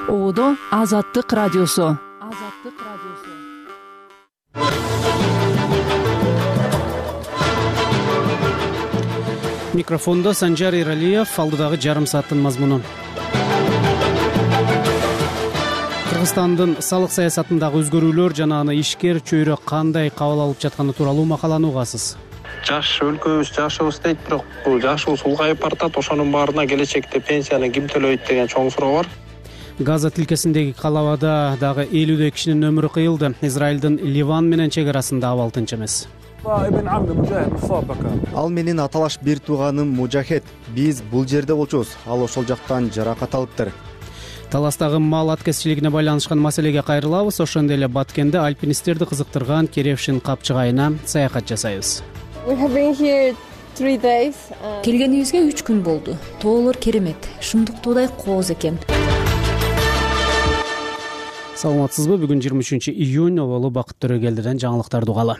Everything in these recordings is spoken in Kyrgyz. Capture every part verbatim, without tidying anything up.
Оодо Азаттык радиосу. Азаттык радиосу. Микрофондо Санжар Иралиев, алдыдагы жарым сааттын мазмуну. Кыргызстандын салык саясатындагы өзгөрүүлөр жана аны ишкер чөйрө кандай кабыл алып жатканы тууралуу макаланы угасыз. Жаш өлкөбүз жашыбыз дейт, бирок бул жашыбыз улгайып баратат. Ошонун баарына келечекте пенсияны ким төлөйт деген чоң суроо бар. Газа тилкесиндеги калабада дагы элүүдөй кишинин өмүрү кыйылды. Израилдин Ливан менен чек арасында абал тынч эмес. Ал менин аталаш бир тууганым Мужахет. Биз бул жерде болчубуз. Ал ошол жактан жаракат алыптыр. Таластагы мал аткезчилигине байланышкан маселеге кайрылабыз. Ошондой эле Баткенде альпинисттерди кызыктырган Керевшин капчыгайына саякат жасайбыз. Келгенибизге үч күн болду. Тоолор керемет, шындыктуудай кооз экен. Саламатсызбы? Бүгүн жыйырма үчүнчү июнь, Оболу Бакыт Төрөгелдиден жаңылыктарды угалы.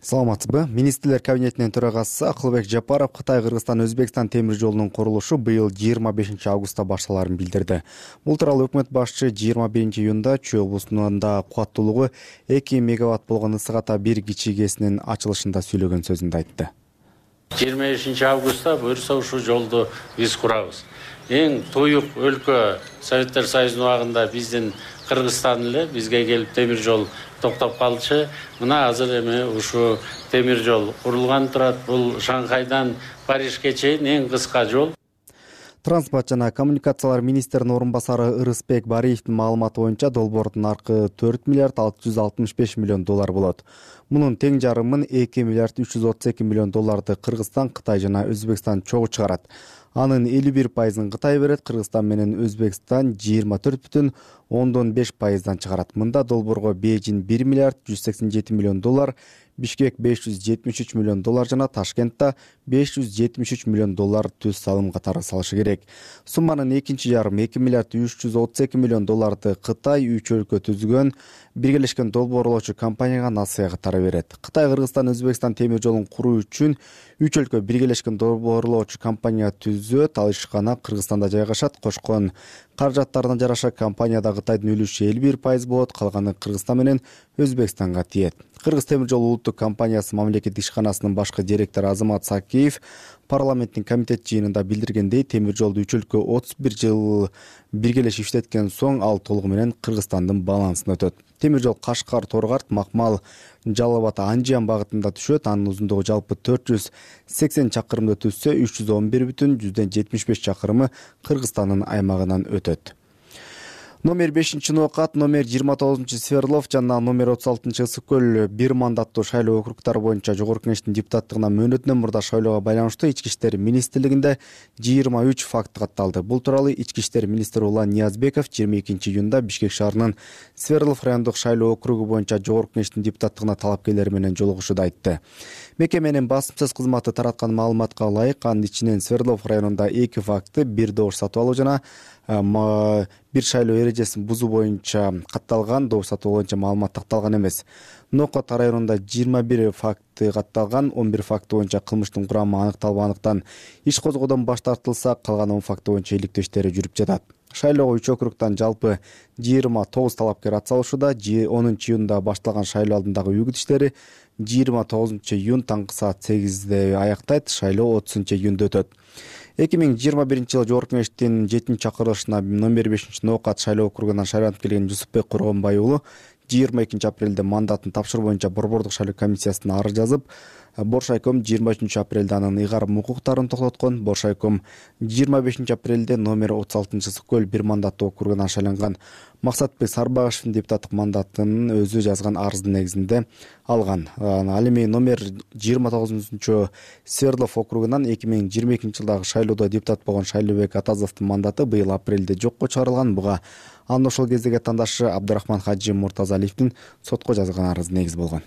Саламатсызбы? Министрлер кабинетинин төрагасы Акылбек Жапаров Кытай-Кыргызстан Өзбекстан темир жолунун курулушу быйыл жыйырма бешинчи августта башталарын билдирди. Бул тууралуу өкмөт башчы жыйырма биринчи июнда Чүй облусунда кубаттуулугу эки мегаватт болгон ысык ата бир кичигесинин ачылышында сүйлөгөн сөзүндө айтты. жыйырма бешинчи августта буюрса ушул жолду биз курабыз. Эң туюк өлкө Советтер Союзунун убагында биздин Кыргызстан эле бизге келип темир жол токтоп калчу. Мына азыр эми ушу темир жол курулган турат. Бул Шанхайдан Парижге чейин эң кыска жол. Транспорт жана коммуникациялар министринин орун басары Ырысбек Бариевдин маалыматы боюнча долбоордун наркы төрт миллиард алты жүз алтымыш беш миллион доллар болот. Мунун тең жарымын эки миллиард үч жүз отуз эки миллион долларды Кыргызстан, Кытай жана Өзбекстан чогуу чыгарат. Анын элүү бир пайызын Кытай берет, Кыргызстан менен Өзбекстан жыйырма төрт бүтүн ондон беш пайыздан чыгарат. Мында долбоорго Бейжин бир миллиард жүз сексен жети миллион доллар, Бишкек беш жүз жетимиш үч миллион доллар жана Ташкентте беш жүз жетимиш үч миллион доллар түз салым катары салышы керек. Сумманын экинчи жарым эки миллиард үч жүз отуз эки миллион долларды Кытай үч өлкө түзгөн биргелешкен долбоорлоочу компанияга насыя катары берет. Кытай, Кыргызстан, Өзбекстан темир жолун куруу үчүн үч өлкө биргелешкен долбоорлоочу компания түзөт. Ал ишкана Кыргызстанда жайгашат. Кошкон каражаттарына жараша компанияда Кытайдын үлүшү элүү бир пайыз болот, калганы Кыргызстан менен Өзбекстанга тиет. Кыргыз темир жол улуттук компаниясы мамлекеттик ишканасынын башкы директору Азамат Сакиев парламенттин комитет жыйынында билдиргендей, темир жолду үч өлкө отуз бир жыл биргелешип иштеткен соң ал толугу менен Кыргызстандын балансына өтөт. Темир жол Кашкар, Торгарт, Макмал, Жалал Абад, Анжан багытында түшөт. Анын узундугу жалпы төрт жүз сексен чакырымды түзсө, үч жүз он бир бүтүн жүздөн жетимиш беш чакырымы Кыргызстандын аймагынан өтөт. Номер бешинчи Ноокат, номер жыйырма тогузунчу Сверлов жана номер отуз алтынчы Ысык көл бир мандаттуу шайлоо округдары боюнча Жогорку Кеңештин депутаттыгына мөөнөтүнөн мурда шайлоого байланыштуу Ички иштер министрлигинде жыйырма үч факт катталды. Бул тууралуу Ички иштер министри Улан Ниязбеков жыйырма экинчи июнда Бишкек шаарынын Сверлов райондук шайлоо округу боюнча Жогорку Кеңештин депутаттыгына талапкерлери менен жолугушууда айтты. Мекеменин басымсыз кызматы тараткан маалыматка ылайык, анын ичинен Сверлов районунда эки факты, бир добуш сатып алуу жана бир шайлоо эрежесин бузуу боюнча катталган. Добуш сатуу боюнча маалымат такталган эмес. Ноокат районунда жыйырма бир факты катталган, он бир факты боюнча кылмыштын курамы аныкталбагандыктан иш козгоодон баш тартылса, калган он факты боюнча иликтөө иштери жүрүп жатат. Шайлоого үч округтан жалпы жыйырма тогуз талапкер ат салышууда. онунчу июнда башталган шайлоо алдындагы үгүт иштери жыйырма тогузунчу июнь таңкы саат сегизде аяктайт. Шайлоо отузунчу июнда өтөт. эки миң жыйырма биринчи жылы Жогорку Кеңештин жетинчи чакырылышына номер бешинчи Ноокат шайлоо округунан шайланып келген Жусупбек Коргонбай уулу жыйырма экинчи апрелде мандатын тапшыруу боюнча Борбордук шайлоо комиссиясына арыз жазып, Боршайком жыйырма үчүнчү апрелде анын ыйгарым укуктарын токтоткон. Боршайком жыйырма бешинчи апрелде номер отуз алтынчы Ысык көл бир мандаттуу округунан шайланган Максатбек Сарбагышевдин депутаттык мандатын өзү жазган арыздын негизинде алган. Ал эми номер жыйырма тогузунчу Сверлов округунан эки миң жыйырма экинчи жылдагы шайлоодо депутат болгон Шайлообек Атазовдун мандаты быйыл апрелде жокко чыгарылган. Буга анын ошол кездеги атаандашы Абдырахман Хаджи Муртазалиевдин сотко жазган арызы негиз болгон.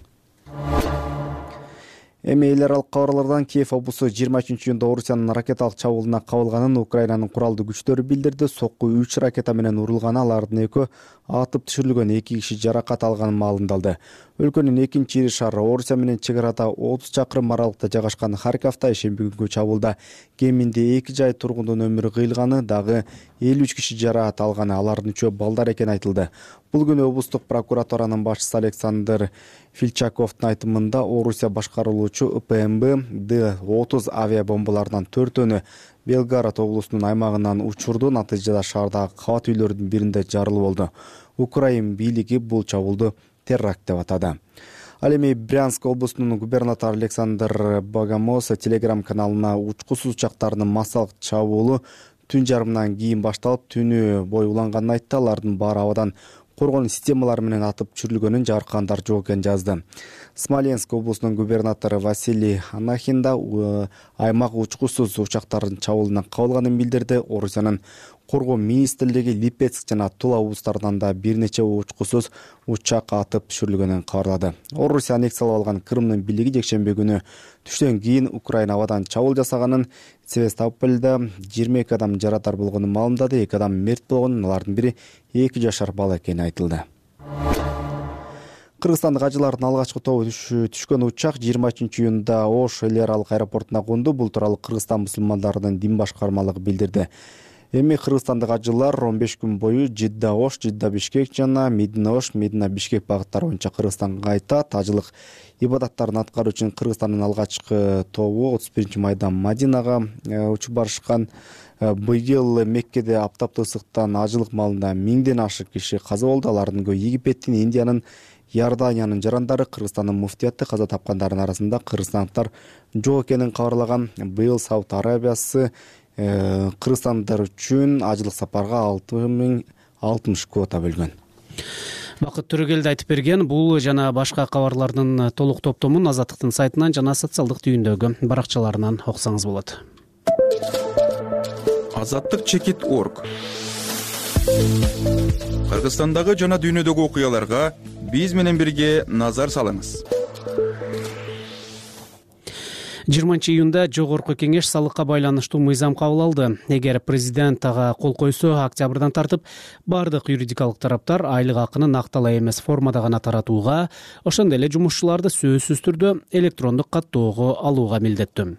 Эми эл аралык кабарлардан Киев облусу жыйырма үчүнчү июнда Орусиянын ракеталык чабуулуна кабылганын Украинанын куралдуу күчтөрү билдирди. Сокку үч ракета менен урулган, алардын экөө атып түшүрүлгөн, эки киши жаракат алганын маалымдалды. Өлкөнүн экинчи ири шаары Орусия менен чек арада отуз чакырым аралыкта жайгашкан Харьковдо ишемби күнгү чабуулда кеминде эки жай тургундун өмүрү кыйылганы, дагы элүү үч киши жараат алганы, алардын үчөө балдар экени айтылды. Бул күнү облустук прокуратуранын башчысы Александр Фильчаковдун айтымында Орусия башкарылуучу П М Б Д отуз авиабомбаларынан төртөөнү Белгород облусунун аймагынан учурду. Натыйжада шаардагы кабат үйлөрдүн биринде жарылуу болду. Украин бийлиги бул чабуулду теракт деп атады. Ал эми Брянск облусунун губернатору Александр Богомоз Телеграм каналына учкусуз учактардын массалык чабуулу түн жарымынан кийин башталып, түнү бою уланганын айтты. Алардын баары абадан коргонуу системалары менен атып түшүрүлгөнүн жаркандар жок экенин жазды. Смоленск облусунун губернатору Василий Анахин да аймак учкусуз учактардын чабуулунан кабылганын билдирди. Орусиянын коргоо министрлиги Липецк жана Тула облустарынан да бир нече учкусуз учак атып түшүрүлгөнүн кабарлады. Орусия аннексиялап алган Крымдын бийлиги жекшемби күнү түштөн кийин Украина абадан чабуул жасаганын, Севастопольдо жыйырма эки адам жарадар болгонун маалымдады. эки адам мерт болгонун, алардын бири эки жашар бала экени айтылды. Кыргызстандык ажылардын алгачкы тобу түшкөн учак жыйырма үчүнчү июнда Ош эл аралык аэропортуна конду. Бул тууралуу Кыргызстан мусулмандарынын дин башкармалыгы билдирди. Эми кыргызстандык ажылар он беш күн бою Жидда Ош, Жидда Бишкек жана Медина Ош, Медина Бишкек багыттары боюнча Кыргызстанга кайтат. Ажылык ибадаттарын аткаруу үчүн Кыргызстандын алгачкы тобу отуз биринчи майда Мадинага учуп барышкан. Быйыл Меккеде аптаптуу ысыктан ажылык маалында миңден ашык киши каза болду. Алардын көбү Египеттин, Индиянын, Иорданиянын жарандары. Кыргызстандын муфтияты каза тапкандардын арасында кыргызстандыктар жок экенин кабарлаган. Быйыл Сауд Арабиясы кыргызстандар үчүн ажылык сапарга алты миң алтымыш квота бөлгөн. Бакыт Төрөгелди айтып берген. Бул жана башка кабарлардын толук топтомун Азаттыктын сайтынан жана социалдык түйүндөгү баракчаларынан окусаңыз болот. Азаттык чекит точка орг. Кыргызстандагы жана дүйнөдөгү окуяларга биз менен бирге назар салыңыз. жыйырманчы июнда жогорку кеңеш салыкка байланыштуу мыйзам кабыл алды. Эгер президент ага кол койсо, октябрдан тартып бардык юридикалык тараптар айлык акыны накталай эмес формада гана таратууга, ошондой эле жумушчуларды сөзсүз түрдө электрондук каттоого алууга милдеттүү.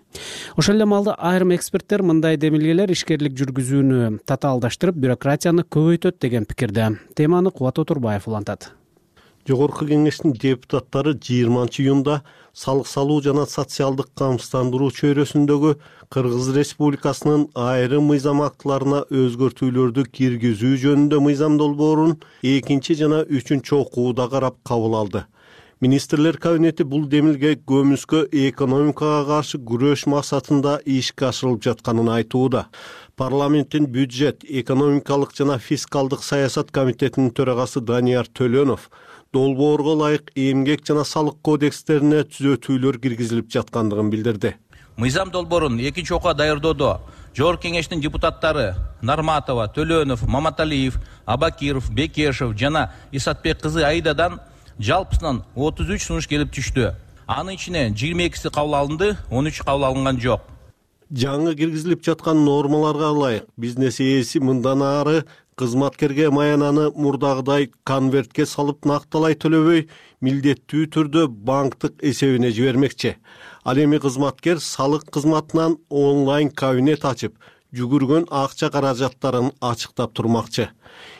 Ошол эле маалда айрым эксперттер мындай демилгелер ишкерлик жүргүзүүнү татаалдаштырып, бюрократияны көбөйтөт деген пикирде. Теманы Кубат Отурбаев улантат. Жогорку кеңештин депутаттары жыйырманчы июнда салык салуу жана социалдык камсыздандыруу чөйрөсүндөгү Кыргыз Республикасынын айрым мыйзам актыларына өзгөртүүлөрдү киргизүү жөнүндө мыйзам долбоорун экинчи жана үчүнчү окууда карап кабыл алды. Министрлер кабинети бул демилге көмүскө экономикага каршы күрөш максатында ишке ашырылып жатканын айтууда. Парламенттин бюджет, экономикалык жана фискалдык саясат комитетинин төрагасы Данияр Төлөнов долбоорго ылайык эмгек жана салык кодекстерине түзөтүүлөр киргизилип жаткандыгын билдирди. Мыйзам долбоорун экинчи окууга даярдоодо жогорку кеңештин депутаттары Нарматова, Төлөнов, Маматалиев, Абакиров, Бекешев жана Исатбек кызы Аидадан жалпысынан отуз үч сунуш келип түштү. Анын ичинен жыйырма экиси кабыл алынды, он үчү кабыл алынган жок. Жаңы киргизилип жаткан нормаларга ылайык бизнес ээси мындан ары кызматкерге маянаны мурдагыдай конвертке салып накталай төлөбөй, милдеттүү түрдө банктык эсебине жибермекчи. Ал эми кызматкер салык кызматынан онлайн кабинет ачып, жүгүргөн акча каражаттарын ачыктап турмакчы.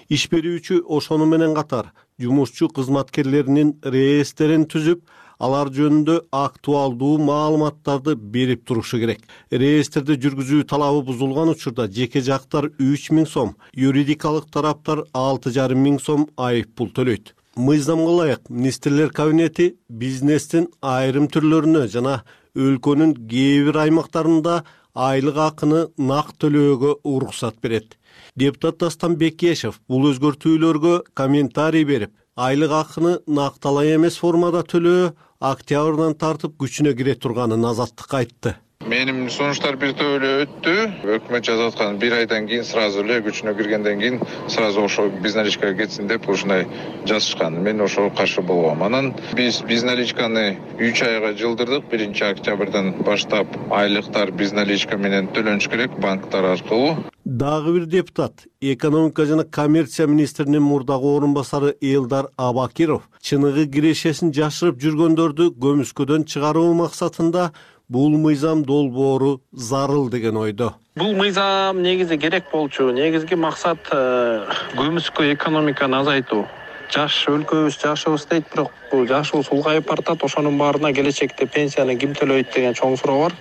Иш берүүчү ошону менен катар жумушчу кызматкерлеринин реестерин түзүп, алар жөнүндө актуалдуу маалыматтарды берип турушу керек. Реестерди жүргүзүү талабы бузулган учурда жеке жактар үч миң сом, юридикалык тараптар алты жарым миң сом айып пул төлөйт. Мыйзамга ылайык министрлер кабинети бизнестин айрым түрлөрүнө жана өлкөнүн кээ бир аймактарында айлык акыны нак төлөөгө уруксат берет. Депутат Дастан Бекешев бул өзгөртүүлөргө комментарий берип, айлык акыны накталай эмес формада төлөө октябрдан тартып күчүнө кире турганын Азаттыкка айтты. Менин сунуштар бир топ эле өттү. Өкмөт жазып аткан бир айдан кийин сразу эле күчүнө киргенден кийин сразу ошо безналичкага кетсин деп ушундай жазышкан. Мен ошого каршы болгом. Анан биз безналичканы үч айга жылдырдык. биринчи октябрдан баштап айлыктар безналичка менен төлөнүш керек банктар аркылуу. Дагы бир депутат, экономика жана коммерция министринин мурдагы орун басары Элдар Абакиров чыныгы кирешесин жашырып жүргөндөрдү көмүскөдөн чыгаруу максатында бул мыйзам долбоору зарыл деген ойдо. Бул мыйзам негизи керек болчу. Негизги максат көмүскө экономиканы азайтуу. Жаш өлкөбүз жашыбыз дейт, бирок бул жашыбыз улгайып баратат. Ошонун баарына келечекте пенсияны ким төлөйт деген чоң суроо бар.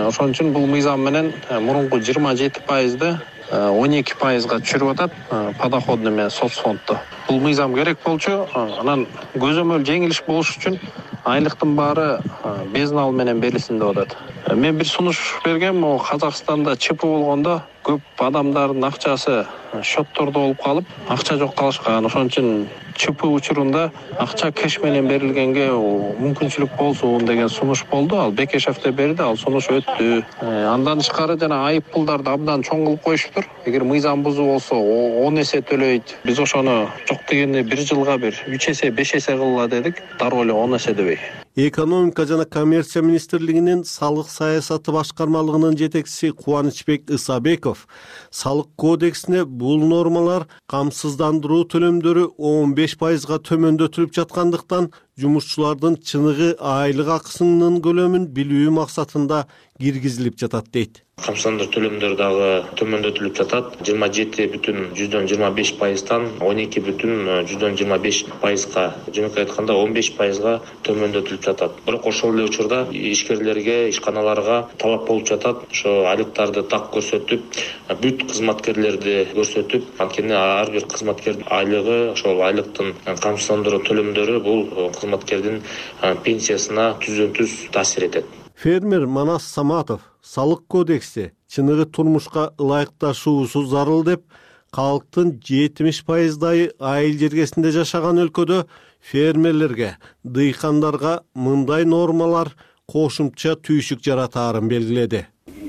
Ошон үчүн бул мыйзам менен мурунку жыйырма жети пайызды он эки пайызга түшүрүп атат подоходный менен соцфондду. Бул мыйзам керек болчу. Анан көзөмөл жеңилиш болуш үчүн айлыктын баары безнал менен берилсин деп атат. Мен бир сунуш бергем, о Казакстанда ЧП болгондо көп адамдардын акчасы счеттордо болуп калып, акча жок калышкан. Ошон үчүн ЧП учурунда акча кеш менен берилгенге мүмкүнчүлүк болсун деген сунуш болду. Ал Бекешев да берди, ал сунуш өттү. Андан тышкары жана айып пулдарды абдан чоң кылып коюшуптур. Эгер мыйзам бузуу болсо он эсе төлөйт. Биз ошону жок дегенде бир жылга бир үч эсе, беш эсе кылла дедик. Дароо эле он эсе дебей. Экономика жана коммерция министрлигинин салык саясаты башкармалыгынын жетекчиси Кубанычбек Исабеков салык кодексине бул нормалар камсыздандыруу төлөмдөрү он беш пайызга төмөндөтүлүп жаткандыктан жумушчулардын чыныгы айлык акысынын көлөмүн билүү максатында киргизилип жатат дейт. Камсыздандыруу төлөмдөр дагы төмөндөтүлүп жатат. жыйырма жети бүтүн жүздөн жыйырма беш пайыздан он эки бүтүн жүздөн жыйырма беш пайызга, жөнөкөй айтканда он беш пайызга төмөндөтүлүп жатат. Бирок ошол эле учурда ишкерлерге, ишканаларга талап болуп жатат. Ошо айлыктарды так көрсөтүп, бүт кызматкерлерди көрсөтүп, анткени ар бир кызматкердин айлыгы, ошол айлыктын камсыздандыруу төлөмдөрү бул кызматкердин пенсиясына түздөн-түз таасир этет. Фермер Манас Саматов салык кодекси чыныгы турмушка ылайыкташуусу зарыл деп, калктын жетимиш пайыздай айыл жергесинде жашаган өлкөдө фермерлерге, дыйкандарга мындай нормалар кошумча түйшүк жаратаарын белгиледи.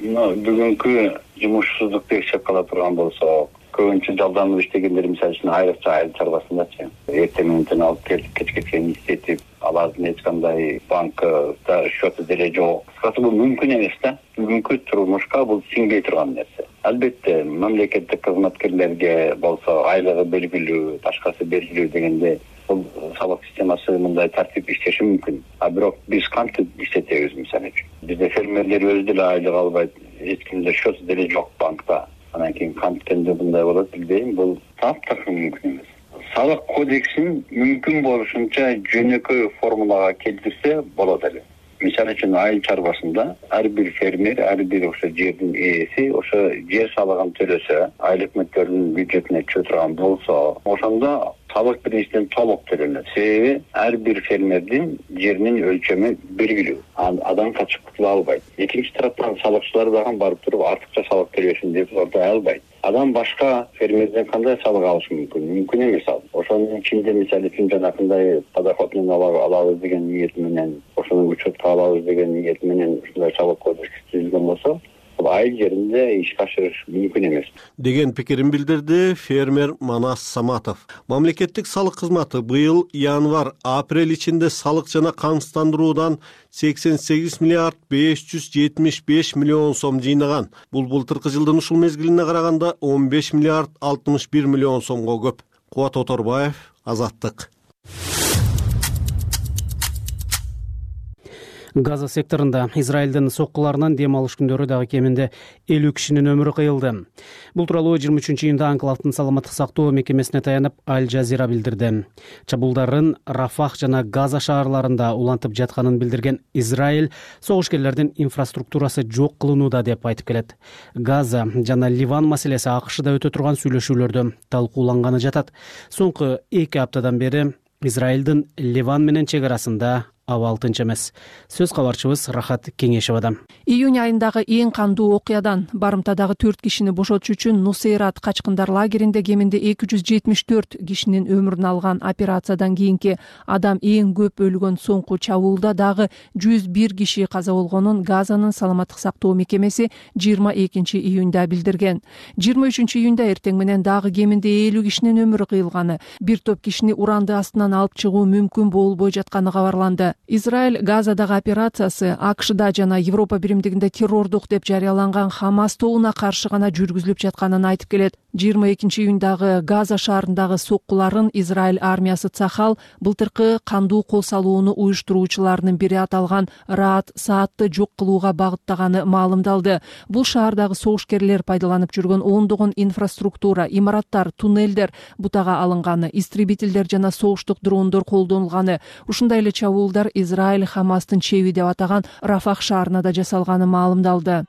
Бүгүнкү жумушсуздукту эсепке ала турган болсок, көбүнчө жалданып иштегендер мисалы үчүн айрыкча айыл чарбасындачы эртең менен алып келип кечке чейин иштетип, алардын эч кандай банкта счету деле жок. Кыскасы бул мүмкүн эмес да. Бүгүнкү турмушка бул сиңбей турган нерсе. Албетте мамлекеттик кызматкерлерге болсо айлыгы белгилүү, башкасы белгилүү дегенде бул салык системасы мындай тартип иштеши мүмкүн. А бирок биз кантип иштетебиз мисалы үчүн? Бизде фермерлер өзү деле айлык албайт, эч кимде счету деле жок банкта. Анан кийин канткенде мындай болот билбейм, бул таптак мүмкүн эмес. Салык кодексин мүмкүн болушунча жөнөкөй формулага келтирсе болот эле. Мисалы үчүн айыл чарбасында ар бир фермер, ар бир ошо жердин ээси ошо жер салыгын төлөсө, айыл өкмөттөрдүн бюджетине түшө турган болсо, ошондо салык биринчиден толук төлөнөт. Себеби ар бир фермердин жеринин өлчөмү белгилүү. Адам качып кутула албайт. Экинчи тараптан салыкчылар дагы барып туруп артыкча салык төлөшүн деп ордой албайт. Адам башка фермерден кандай салык алышы мүмкүн? Мүмкүн эмес ал. Ошонун ичинде мисалы үчүн жанакындай подоходный алабыз деген ниет менен, ошону учетко алабыз деген ниет менен ушундай салык кодекс түзүлгөн болсо, бул айыл жеринде ишке ашырыш мүмкүн эмес деген пикирин билдирди фермер Манас Саматов. Мамлекеттик салык кызматы быйыл январь-апрель ичинде салык жана камсыздандыруудан сексен сегиз миллиард беш жүз жетимиш беш миллион сом жыйнаган. Бул былтыркы жылдын ушул мезгилине караганда он беш миллиард алтымыш бир миллион сомго көп. Кубат Оторбаев, Азаттык. Газа секторунда Израилдин соккуларынан дем алыш күндөрү дагы кеминде элүү кишинин өмүрү кыйылды. Бул тууралуу жыйырма үчүнчү июнда Анклавдын саламаттык сактоо мекемесине таянып Аль Жазира билдирди. Чабуулдардын Рафах жана Газа шаарларында улантып жатканын билдирген Израиль согушкерлердин инфраструктурасы жок кылынууда деп айтып келет. Газа жана Ливан маселеси АКШда өтө турган сүйлөшүүлөрдө талкууланганы жатат. Соңку эки аптадан бери Израилдин Ливан менен чек арасында абал тынч эмес. Сөз кабарчыбыз Рахат Кеңешевадан. Июнь айындагы эң кандуу окуядан барымтадагы төрт кишини бошотуш үчүн Нусейрат качкындар лагеринде кеминде эки жүз жетимиш төрт кишинин өмүрүн алган операциядан кийинки адам эң көп өлгөн соңку чабуулда дагы жүз бир киши каза болгонун Газанын саламаттык сактоо мекемеси жыйырма экинчи июнда билдирген. жыйырма үчүнчү июнда эртең менен дагы кеминде элүү кишинин өмүрү кыйылганы, бир топ кишини уранды астынан алып чыгуу мүмкүн болбой жатканы кабарланды. Израиль Газадагы операциясы АКШда жана Европа биримдигинде террордук деп жарыяланган Хамас тобуна каршы гана жүргүзүлүп жатканын айтып келет. жыйырма экинчи июндагы Газа шаарындагы соккуларын Израиль армиясы Цахал былтыркы кандуу кол салууну уюштуруучуларынын бири аталган Раат Саатты жок кылууга багыттаганы маалымдалды. Бул шаардагы согушкерлер пайдаланып жүргөн ондогон инфраструктура, имараттар, туннелдер бутага алынганы, истребительдер жана согуштук дрондор колдонулганы. Ушундай эле чабуулдар Израиль Хамастын чеби деп атаган Рафах шаарына да жасалганы маалымдалды.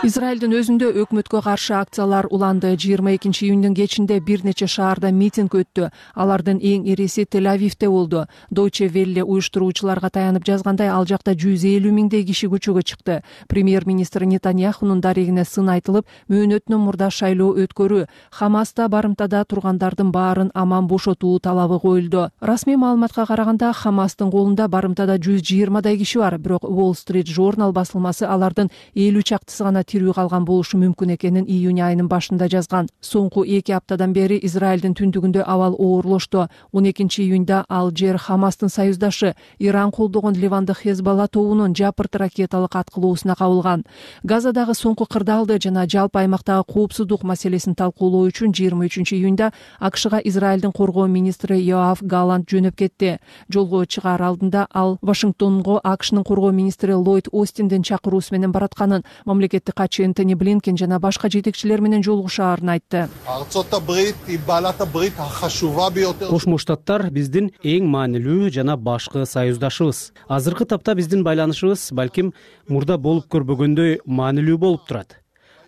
Израилдин өзүндө өкмөткө каршы акциялар уланды. жыйырма экинчи июндүн кечинде бир нече шаарда митинг өттү. Алардын эң ириси Тель-Авивде болду. Deutsche Welle уюштуруучуларга таянып жазгандай, ал жакта жүз элүү миңдей киши көчөгө чыкты. Премьер-министр Нетаньяхунун дарегине сын айтылып, мөөнөтүнөн мурда шайлоо өткөрүү, Хамаста барымтада тургандардын баарын аман бошотуу талабы коюлду. Расмий маалыматка караганда, Хамастын колунда барымтада жүз жыйырмадай киши бар, бирок Wall Street Journal басылмасы алардын элүү чактысы гана тирүү калган болушу мүмкүн экенин июнь айынын башында жазган. Соңку эки аптадан бери Израилдин түндүгүндө абал оорлошту. он экинчи июнда ал жер Хамастын союздашы Иран колдогон Ливандык Хезбалла тобунун жапырт ракеталык аткылоосуна кабылган. Газадагы соңку кырдаалды жана жалпы аймактагы коопсуздук маселесин талкуулоо үчүн жыйырма үчүнчү июнда АКШга Израилдин коргоо министри Йоав Галлант жөнөп кетти. Жолго чыгаар алдында ал Вашингтонго АКШнын коргоо министри Ллойд Остиндин чакыруусу менен баратканын, мамлекеттик катчы Энтони Блинкен жана башка жетекчилер менен жолугушаарын айтты. Кошмо Штаттар биздин эң маанилүү жана башкы союздашыбыз. Азыркы тапта биздин байланышыбыз балким мурда болуп көрбөгөндөй маанилүү болуп турат.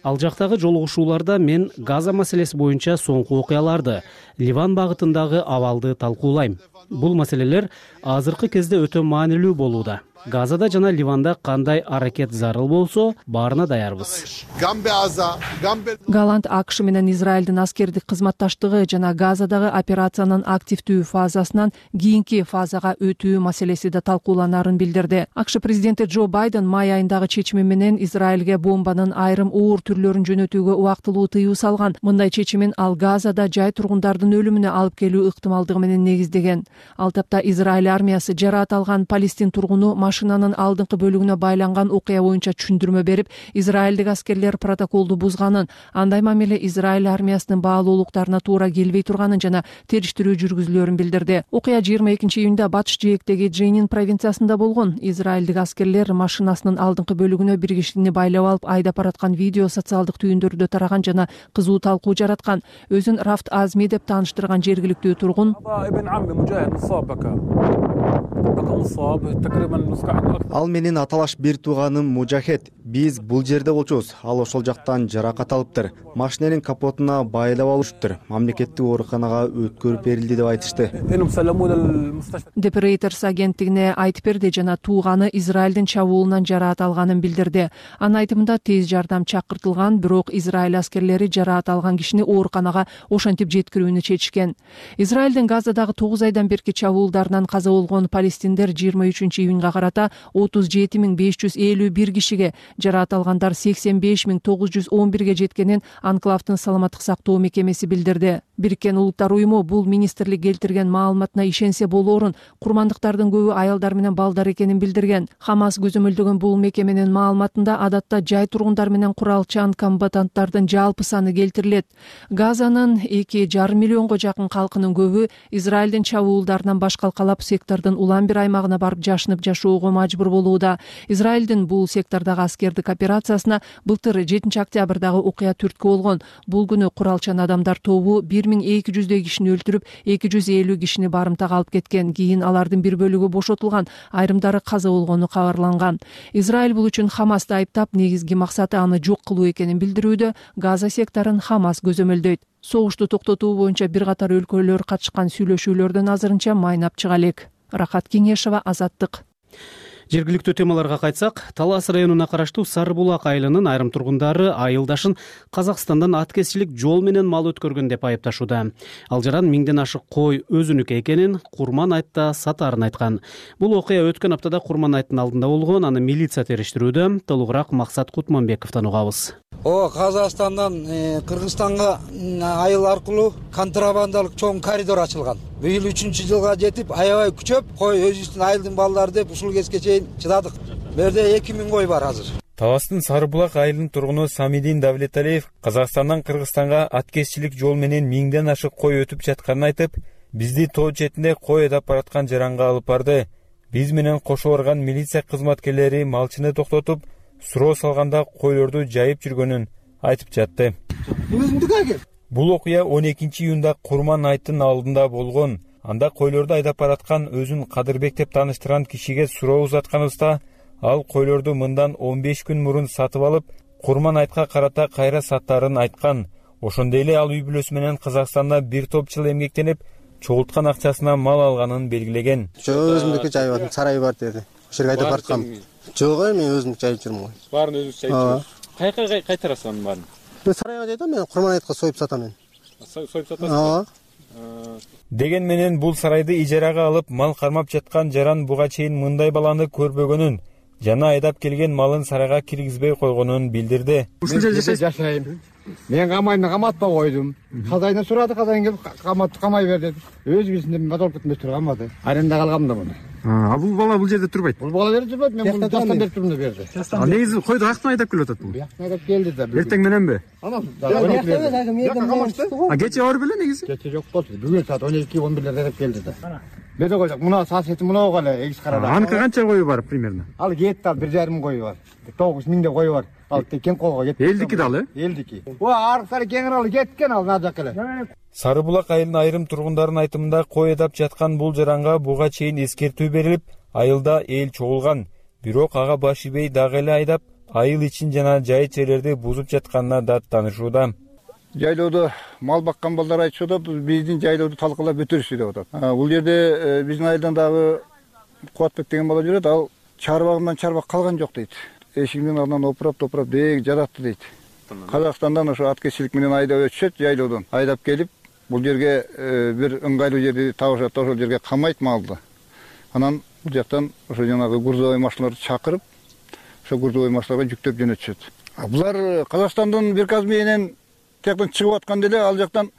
Ал жактагы жолугушууларда мен Газа маселеси боюнча соңку окуяларды, Ливан багытындагы абалды талкуулайм. Бул маселелер азыркы кезде өтө маанилүү болууда. Газада жана Ливанда кандай аракет зарыл болсо, баарына даярбыз. Галант АКШ менен Израилдин аскердик кызматташтыгы жана Газадагы операциянын активдүү фазасынан кийинки фазага өтүү маселеси да талкууланарын билдирди. АКШ президенти Джо Байден май айындагы чечими менен Израилге бомбанын айрым оор түрлөрүн жөнөтүүгө убактылуу тыюу салган. Мындай чечимин ал Газада жай тургундардын өлүмүнө алып келүү ыктымалдыгы менен негиздеген. Ал тапта Израиль армиясы жараат алган Палестин тургуну машинанын алдыңкы бөлүгүнө байланган окуя боюнча түшүндүрмө берип, израилдик аскерлер протоколду бузганын, андай мамиле Израиль армиясынын баалуулуктарына туура келбей турганын жана териштирүү жүргүзүлөөрүн билдирди. Окуя жыйырма экинчи июнда батыш жээктеги Дженин провинциясында болгон. Израилдик аскерлер машинасынын алдыңкы бөлүгүнө бир кишини байлап алып айдап бараткан видео социалдык түйүндөрдө тараган жана кызуу талкуу жараткан. Өзүн Рафт Азми деп тааныштырган жергиликтүү тургун ал менин аталаш бир тууганым Мужахет. Биз бул жерде болчубуз. Ал ошол жактан жаракат алыптыр. Машинанын капотуна байлап алышыптыр. Мамлекеттик ооруканага өткөрүп берилди деп айтышты. Депрейтors агенттигине айтып берди жана тууганы Израилдин чабуулунан жараат алганын билдирди. Анын айтымында тез жардам чакыртылган, бирок Израиль аскерлери жараат алган кишини ооруканага ошентип жеткирүүнү чечишкен. Израилдин Газадагы тогуз айдан берки чабуулдарынан каза болгон палестиндер жыйырма үчүнчү июнга карата отуз жети миң беш жүз элүү бир кишиге, жараат алгандар сексен беш миң тогуз жүз он бирге жеткенин Анклавдын саламаттык сактоо мекемеси билдирди. Бириккен Улуттар уюму бул министрлик келтирген маалыматына ишенсе болоорун, курмандыктардын көбү аялдар менен балдар экенин билдирген. Хамас көзөмөлдөгөн бул мекеменин маалыматында адатта жай тургундар менен куралчан комбатанттардын жалпы саны келтирилет. Газанын эки жарым миллионго жакын калкынын көбү Израилдин чабуулдарынан баш калкалап сектордо сектordун улам бир аймагына барып жашынып жашоого мажбур болууда. Израилдин бул сектордагы аскердик операциясына былтыр жетинчи октябрдагы окуя түрткү болгон. Бул күнү куралчан адамдар тобу бир миң эки жүздөй кишини өлтүрүп, эки жүз элүү кишини барымтага алып кеткен. Кийин алардын бир бөлүгү бошотулган, айрымдары каза болгону кабарланган. Израиль бул үчүн Хамасты айыптап, негизги максаты аны жок кылуу экенин билдирүүдө. Газа секторун Хамас көзөмөлдөйт. Согушту токтотуу боюнча бир катар өлкөлөр катышкан сүйлөшүүлөрдөн азырынча майнап чыга элек. Рахат Кеңешова, Азаттык. Жергиликтүү темаларга кайтсак, Талас районуна караштуу Сары булак айылынын айрым тургундары айылдашын Казакстандан аткезчилик жол менен мал өткөргөн деп айыпташууда. Ал жаран миңден ашык кой өзүнүкү экенин Курман айтта сатаарын айткан. Бул окуя өткөн аптада Курман айттын алдында болгон, аны милиция териштирүүдө. Толугураак Максат Кутманбековдон угабыз. О, Казакстандан Кыргызстанга айыл аркылуу контрабандалык чоң коридор ачылган. Быйыл үчүнчү жылга жетип, аябай күчөп, кой өзүбүздүн айылдын балдары деп ушул кезге чейин чыдадык. Берде эки миң кой бар азыр. Таластын Сары булак айылынын тургуну Самидин Давлеталиев Казакстандан Кыргызстанга аткезчилик жол менен миңден ашык кой өтүп жатканын айтып, бизди тоо четинде кой айдап бараткан жаранга алып барды. Биз менен кошо барган милиция кызматкерлери малчыны токтотуп, суроо салганда койлорду жайып жүргөнүн айтып жатты. Бул окуя он экинчи июнда Курман айттын алдында болгон. Анда койлорду айдап бараткан өзүн Кадырбек деп тааныштырган кишиге суроо узатканыбызда, ал койлорду мындан он беш күн мурун сатып алып, Курман айтка карата кайра саттарын айткан. Ошондой эле ал үй бүлөсү менен Казакстанда бир топ жыл эмгектенип, чогулткан акчасына мал алганын белгилеген. Өзүмдүкү жайып атам, сарай бар деди. Ошол жерге айдап бараткам. Жок, мен өзүм жайып жүрмүн го. Баарын өзүңүз жайып жүрөсүз. Кайка кайтарасыз анын баарын? Мен сарайга жайдым, мен Курман айтка союп сатам мен. Союп сатасыз? Деген менен бул сарайды ижарага алып, мал кармап жаткан жаран буга чейин мындай баланы көрбөгөнүн, жана айдап келген малын сарайга киргизбей койгонун билдирди. Ушул жерде жашайм. Мен камайны каматпай койдум. Казайдан сурады, казайдан келип каматты камай бер деди. Өз бизинде мотор кетмей турганмады. Аренда калгам да муну. А бул бала бул жерде турбайт. Бул бала жерде турбайт, мен муну жастан берип турдум да берди. А негизи койду каяктан айдап келип атат бул? Бияктан айдап келди да. Эртең мененби? Анан. А кече бар беле негизи? Кече жок болду. Бүгүн саат он эки он бирде айдап келди да. Берде койдук. Мына соседи мына эле эгиз карада. Аныкы канча кою бар примерно? Ал кетти, ал бир жарым кою бар. тогуз миңде кою бар. Ал текен колго кетти. Элдики да ал, э? Элдики. Ва, аркы кеңир ал кеткен ал нажак эле. Сары булак айылынын айрым тургундардын айтымында кой айдап жаткан бул жаранга буга чейин эскертүү берилип, айылда эл чогулган. Бирок ага баш ийбей дагы эле айдап, айыл ичин жана жайыт жерлерди бузуп жатканына да таанышууда. Жайлоодо мал баккан балдар айтышууда, биздин жайлоодо талкалап өтөрүшү деп атат. Бул жерде биздин айылдан дагы Кубатбек деген бала жүрөт, ал чарбагынан чарбак калган жок дейт. Эшигинин алдынан опурап топурап деги жататты дейт. Казакстандан ошо аткезчилик менен айдап өтүшөт, жайлоодон айдап келип, бул жерге бир ыңгайлуу жерди табышат, ошол жерге камайт малды. Анан бул жактан ошо жанагы грузовой машиналарды чакырып, ошо грузовой машиналарга жүктөп жөнөтүшөт. Булар Казакстандын биркасы менен тияктан чыгып атканда эле ал жактан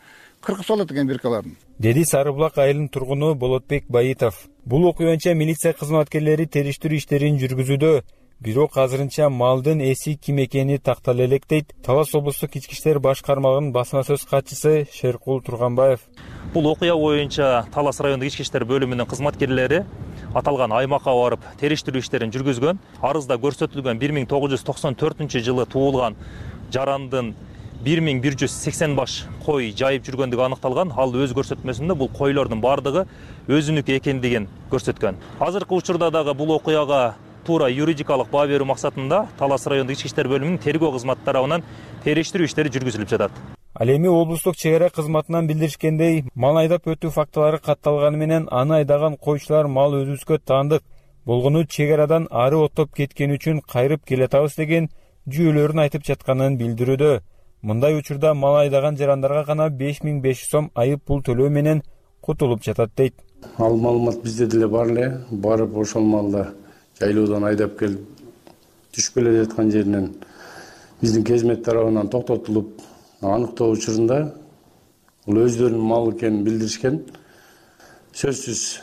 кыркып салат экен биркаларын. Деди Сары булак айылынын тургуну Болотбек Байитов. Бул окуя боюнча милиция кызматкерлери териштирүү иштерин жүргүзүүдө. Бирок азырынча малдын эси ким экени тактала элек дейт Талас облустук ички иштер башкармалыгынын басма сөз катчысы Шеркул Турганбаев. Бул окуя боюнча Талас райондук ички иштер бөлүмүнүн кызматкерлери аталган аймакка барып териштирүү иштерин жүргүзгөн. Арызда көрсөтүлгөн бир миң тогуз жүз токсон төртүнчү жылы туулган жарандын бир миң бир жүз сексен баш кой жайып жүргөндүгү аныкталган. Ал өз көрсөтмөсүндө бул койлордун бардыгы өзүнүкү экендигин көрсөткөн. Азыркы учурда дагы бул окуяга туура юридикалык баа берүү максатында Талас райондук ички иштер бөлүмүнүн тергөө кызматы тарабынан териштирүү иштери жүргүзүлүп жатат. Ал эми облустук чек ара кызматынан билдиришкендей, мал айдап өтүү фактылары катталганы менен аны айдаган койчулар мал өзүбүзгө таандык болгону чек арадан ары оттоп кеткени үчүн кайрып келатабыз деген жүйөлөрүн айтып жатканын билдирүүдө. Мындай учурда мал айдаган жарандарга гана беш миң беш жүз сом айып пул төлөө менен кутулуп жатат дейт. Ал маалымат бизде деле бар эле, барып ошол малда жайлоодон айдап келип түшүп келе жаткан жеринен биздин кезмет тарабынан токтотулуп аныктоо учурунда бул өздөрүнүн малы экенин билдиришкен. Сөзсүз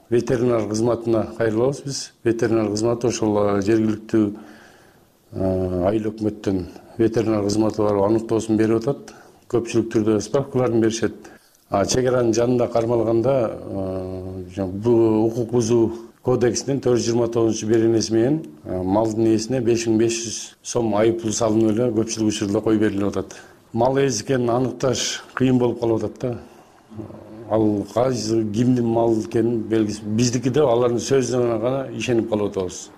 ветеринар кызматына кайрылабыз биз. Ветеринар кызматы ошол жергиликтүү айыл өкмөттөн ветеринар кызматы барып аныктоосун берип атат. Көпчүлүк түрдө справкаларын беришет. чек аранын жанында кармалганда бул укук бузуу кодексинин төрт жүз жыйырма тогузунчу беренеси менен малдын ээсине беш миң беш жүз сом айып пул салынып эле көпчүлүк учурда кой берилип атат. Мал ээси экенин аныкташ кыйын болуп калып атат да. Ал кайсы кимдин малы экенин белгисиз. Биздики деп алардын сөзүнө гана ишенип калып атабыз.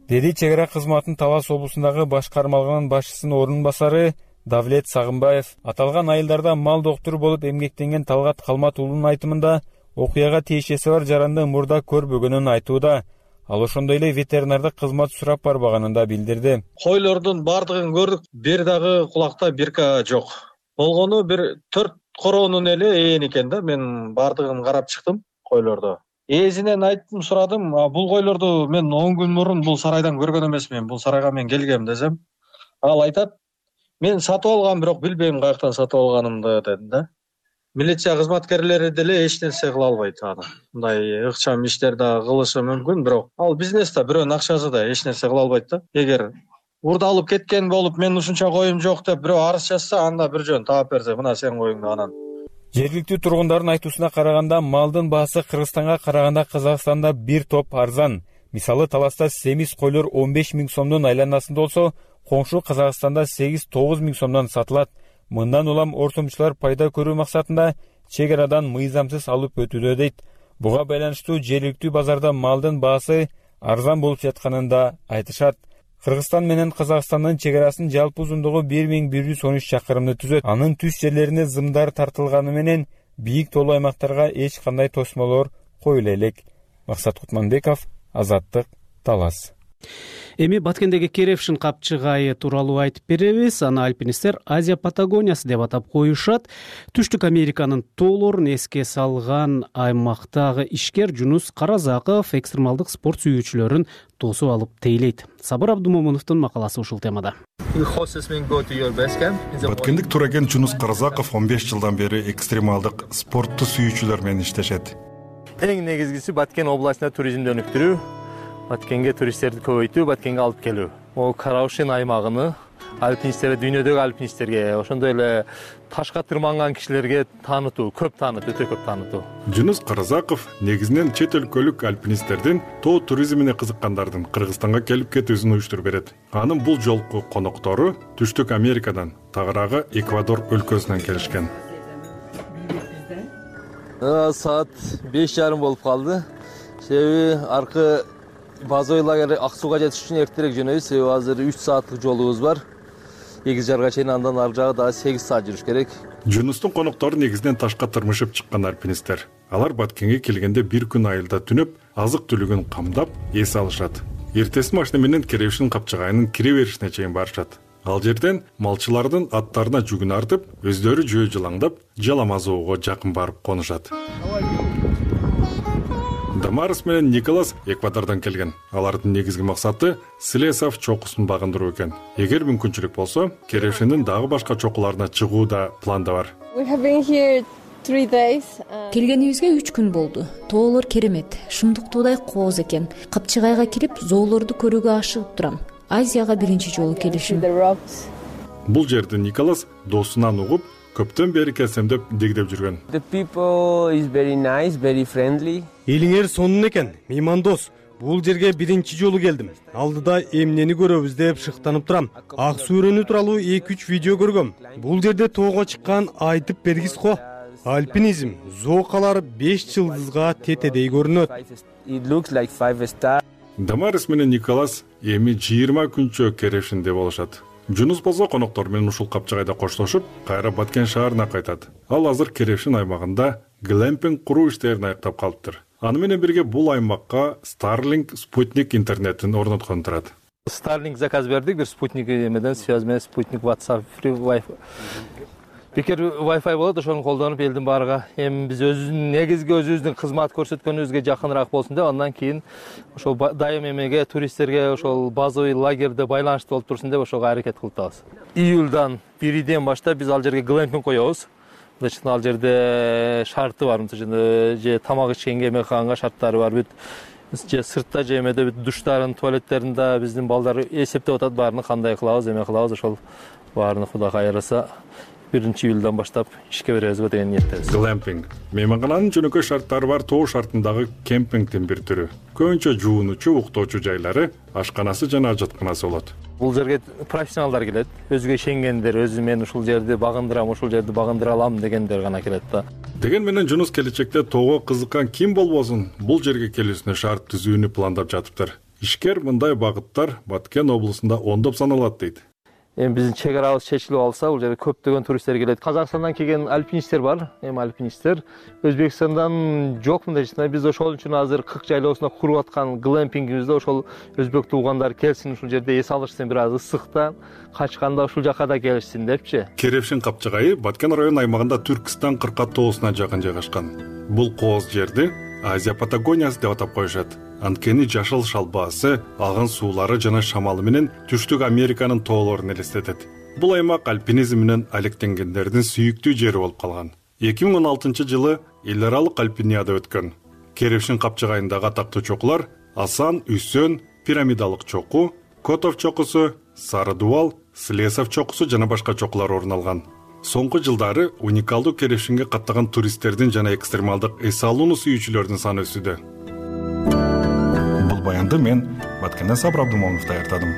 Деди чек ара кызматынын Талас облусундагы баш кармалган башчысынын орун басары Давлет Сагынбаев. Аталган айылдарда мал доктуру болуп эмгектенген Талгат Калмат уулунун айтымында окуяга тиешеси бар жаранды мурда көрбөгөнүн айтууда. Ал ошондой эле ветеринардык кызмат сурап барбаганын да билдирди. Койлордун бардыгын көрдүк, бир дагы кулакта бирка жок. Болгону бир төрт короонун эле ээн экен да. Мен бардыгын карап чыктым койлордо. Ээсинен айттым, сурадым. Бул койлорду мен он күн мурун бул сарайдан көргөн эмесмин. Бул сарайга мен келгем десем, ал айтат: "Мен сатып алгам, бирок билбейм каяктан сатып алганымды" деди да. Милиция кызматкерлери деле эч нерсе кыла албайт аны. Мындай ыкчам иштер да кылышы мүмкүн, бирок ал бизнес да, бирөөнүн акчасы да, эч нерсе кыла албайт да. Эгер урдалып кеткен болуп, мен ушунча коюм жок деп бирөө арыз жазса, анда бир жөн таап берсе, мына сен коюңду анан. Жергиликтүү тургундардын айтуусуна караганда, малдын баасы Кыргызстанга караганда Казакстанда бир топ арзан. Мисалы, Таласта семиз койлор он беш миң сомдун айланасында болсо, коңшу Казакстанда сегиз тогуз миң сомдон сатылат. Мындан улам ортомчулар пайда көрүү максатында чек арадан мыйзамсыз алып өтүүдө дейт. Буга байланыштуу жергиликтүү базарда малдын баасы арзан болуп жатканын да айтышат. Кыргызстан менен Казакстандын чек арасынын жалпы узундугу бир миң бир жүз он үч чакырымды түзөт. Анын түз жерлерине зымдар тартылганы менен бийик тоолуу аймактарга эч кандай тосмолор коюла элек. Максат Кутманбеков, Азаттык, Талас. Эми Баткендеги Керевшин капчыгайы тууралуу айтып беребиз. Аны альпинисттер Азия Патагониясы деп атап коюшат. Түштүк Американын тоолорун эске салган аймактагы ишкер Жунус Каразаков экстремалдык спорт сүйүүчүлөрүн тосуп алып тейлейт. Сабыр Абдумомуновдун макаласы ушул темада. Баткендик тураген Жунус Каразаков он беш жылдан бери экстремалдык спортту сүйүүчүлөр менен иштешет. Эң негизгиси Баткен областына туризмди өнүктүрүү, Баткенге туристтерди көбөйтүү, Баткенге алып келүү. О Караушин аймагыны альпинисттерге, дүйнөдөгү альпинисттерге, ошондой эле ташка тырманган кишилерге таанытуу, көп таанытуу, өтө көп таанытуу. Жунус Каразаков негизинен чет өлкөлүк альпинисттердин тоо туризмине кызыккандардын Кыргызстанга келип кетүүсүн уюштуруп берет. Анын бул жолку коноктору Түштүк Америкадан, тагыраагы Эквадор өлкөсүнөн келишкен. Саат беш жарым болуп калды. Себеби аркы базовый лагерь ак сууга жетиш үчүн эртерээк жөнөйбүз. Себеби азыр үч сааттык жолубуз бар. Эгиз жарга чейин, андан ары жагы дагы сегиз саат жүрүш керек. Жунустун коноктору негизинен ташка тырмышып чыккан альпинисттер. Алар Баткенге келгенде бир күн айылда түнөп, азык түлүгүн камдап, эс алышат. Эртеси машина менен Керевшин капчыгайынын кире беришине чейин барышат. Ал жерден малчылардын аттарына жүгүн артып, өздөрү жөө жылаңдап, Жаламазоого жакын барып конушат. Дамарис менен Николас Эквадордон келген. Алардын негизги максаты Слесов чокусун багындыруу экен. Эгер мүмкүнчүлүк болсо, Керевшиндин дагы башка чокуларына чыгуу да планда бар. Келгенибизге үч күн болду. Тоолор керемет, шымдыктуудай кооз экен. Капчыгайга кирип, зоолорду көрүүгө ашыгып турам. Азияга биринчи жолу келишим. Бул жерди Николас досунан угуп, көптөн бери келсем деп дегдеп жүргөн. Элиңер сонун экен, меймандос. Бул жерге биринчи жолу келдим. Алдыда эмнени көрөбүз деп шыктанып турам. Ак суу өрөөнү тууралуу эки үч видео көргөм. Бул жерде тоого чыккан айтып бергис го. Альпинизм, зоокалар беш жылдызга тетедей көрүнөт. Дамарис менен Николас эми жыйырма күнчө Керевшинде болушат. Жунус болсо коноктор менен ушул капчыгайда коштошуп, кайра Баткен шаарына кайтат. Ал азыр Керевшин аймагында глэмпинг куруу иштерин аяктап калыптыр. Аны менен бирге бул аймакка Starlink спутник интернетин орноткон турат. Starlink заказ бердик, бир спутник эмеден связь менен спутник WhatsApp, free Wi-Fi. Бекер Wi-Fi болот, ошону колдонуп элдин баарыга эми биз өзүбүздүн негизги өзүбүздүн кызмат көрсөткөнүбүзгө жакыныраак болсун деп, андан кийин ошол дайым эмеге, туристтерге ошол базовый лагерьде байланыштуу болуп турсун деп ошого аракет кылып атабыз. Июлдан бириден баштап биз ал жерге глэмпинг коебуз. Значит, ал жерде шарты бар, мисалы же тамак ичкенге, эмеканга шарттары бар. Бүт же сыртта же эмеде бүт душтарын, туалеттерин да биздин балдар эсептеп атат, баарын кандай кылабыз, эме кылабыз, ошол баарын Кудай кайраса биринчи июлдан баштап ишке беребизби деген ниеттебиз. Глэмпинг мейманкананын жөнөкөй шарттары бар тоо шартындагы кемпингдин бир түрү. Көбүнчө жуунучу, уктоочу жайлары, ашканасы жана ажатканасы болот. Бул жерге профессионалдар келет, өзүгө ишенгендер, өзү мен ушул жерди багындырам, ушул жерди багындыра алам дегендер гана келет да. Деген менен Жунус келечекте тоого кызыккан ким болбосун бул жерге келүүсүнө шарт түзүүнү пландап жатыптыр. Ишкер мындай багыттар Баткен облусунда ондоп саналат дейт. Эми биздин чек арабыз чечилип алса, бул жерге көптөгөн туристтер келет. Казакстандан келген альпинисттер бар, эми альпинисттер. Өзбекстандан жокмун дешти. Биз ошол үчүн азыр кырк жайлоосунда куруп аткан глэмпингибизде ошол өзбек туугандар келсин, ушул жерде эс алышсын, бир аз ысыкта качканда ушул жака да келишсин депчи. Керевшин капчыгайы Баткен район аймагында Түркистан кырка тоосуна жакын жайгашкан. Бул кооз жерди Азия Патагониясы деп атап коюшат. Анткени жашыл шалбаасы, агын суулары жана шамалы менен Түштүк Американын тоолорун элестетет. Бул аймак альпинизм менен алектенгендердин сүйүктүү жери болуп калган. эки миң он алтынчы жылы эл аралык альпинияда өткөн. Керевшин капчыгайындагы атактуу чокулар Асан, Үсөн, пирамидалык чоку, Котов чокусу, Сары дубал, Слесов чокусу жана башка чокулар орун алган. Соңку жылдары уникалдуу Керевшинге каттаган туристтердин жана экстремалдык эс алууну сүйүүчүлөрдүн саны өсүүдө. Бул баянды мен Баткенден Сабыр Абдымомунов даярдадым.